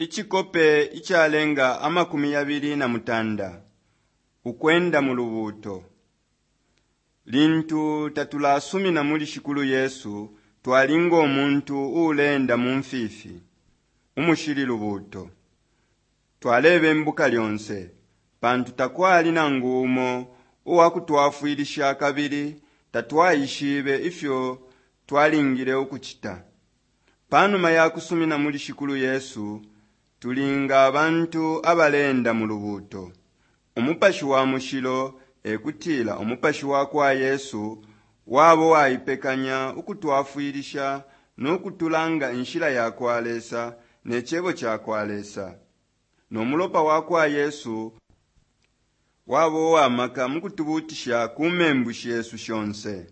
Icikope icalenga 28 Ukwenda mu lubuuto. Lintu tatulasumina muli Shikulu Yesu, twali ngo muntu uuleenda mu mfifi, umushili lubuuto. Twalebembuka lyonse, pantu takwali nangu umo uwakutwafwilisha kabili tatwaishibe ifyo twalingile ukucita. Panuma ya kusumina muli Shikulu Yesu, tuli nga abantu abaleenda mu lubuuto. Umupashi wa Mushilo, e kutila Umupashi wa kwa Yesu, wabo waipekanya ukutwafwilisha no kutulanga inshila ya kwa Lesa ne cebo ca kwa Lesa. No mulopa wa kwa Yesu wabo uwa maka mukutubuutisha ku membu shesu shonse.